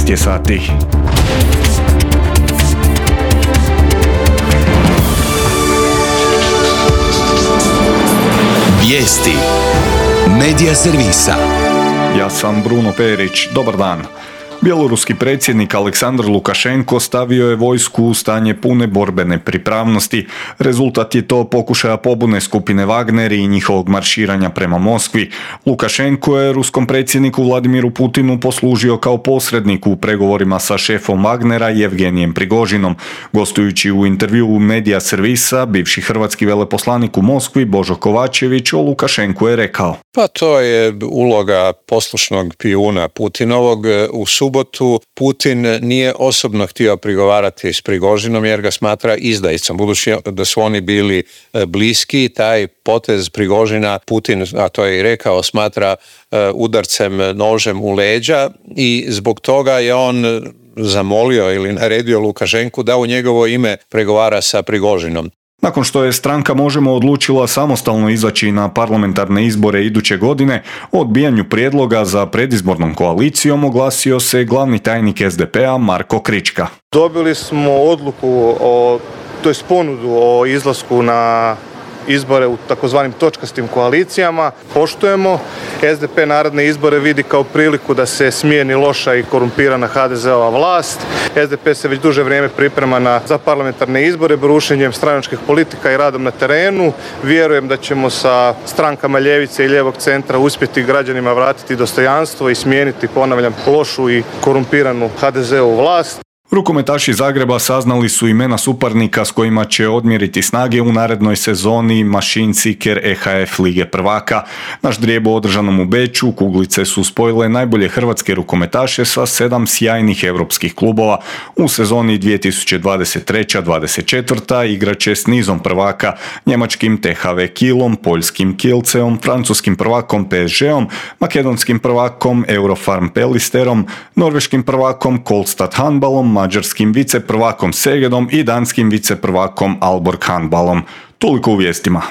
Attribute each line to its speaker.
Speaker 1: 13 je sati.
Speaker 2: Vijesti Medija servisa.
Speaker 1: Ja sam Bruno Perić, dobar dan. Bjeloruski predsjednik Aleksandar Lukašenko stavio je vojsku u stanje pune borbene pripravnosti. Rezultat je to pokušaja pobune skupine Wagner i njihovog marširanja prema Moskvi. Lukašenko je ruskom predsjedniku Vladimiru Putinu poslužio kao posrednik u pregovorima sa šefom Wagnera Jevgenijem Prigožinom. Gostujući u intervjuu Medija servisa, bivši hrvatski veleposlanik u Moskvi Božo Kovačević o Lukašenku je rekao:
Speaker 3: Pa to je uloga poslušnog pijuna Putinovog. U subotu Putin nije osobno htio prigovarati s Prigožinom jer ga smatra izdajicom. Budući da su oni bili bliski, taj potez Prigožina Putin, a to je i rekao, smatra udarcem nožem u leđa i zbog toga je on zamolio ili naredio Lukašenku da u njegovo ime pregovara sa Prigožinom.
Speaker 1: Nakon što je stranka Možemo odlučila samostalno izaći na parlamentarne izbore iduće godine, o odbijanju prijedloga za predizbornom koalicijom oglasio se glavni tajnik SDP-a Marko Krička.
Speaker 4: Dobili smo odluku, ponudu o izlasku na izbore u takozvanim točkastim koalicijama. Poštujemo. SDP naredne izbore vidi kao priliku da se smijeni loša i korumpirana HDZ-ova vlast. SDP se već duže vrijeme priprema za parlamentarne izbore brušenjem stranačkih politika i radom na terenu. Vjerujem da ćemo sa strankama ljevice i lijevog centra uspjeti građanima vratiti dostojanstvo i smijeniti, ponavljam, lošu i korumpiranu HDZ-ovu vlast.
Speaker 1: Rukometaši Zagreba saznali su imena suparnika s kojima će odmjeriti snage u narednoj sezoni Machine Seeker EHF Lige prvaka. Na ždrijebu održanom u Beču kuglice su spojile najbolje hrvatske rukometaše sa 7 sjajnih europskih klubova. U sezoni 2023-24 igraće s nizom prvaka, njemačkim THW Kielom, poljskim Kielceom, francuskim prvakom PSG-om, makedonskim prvakom Eurofarm Pelisterom, norveškim prvakom Kolstad handbalom, mađarskim viceprvakom Segedom i danskim viceprvakom Aalborg handbalom. Toliko u vijestima.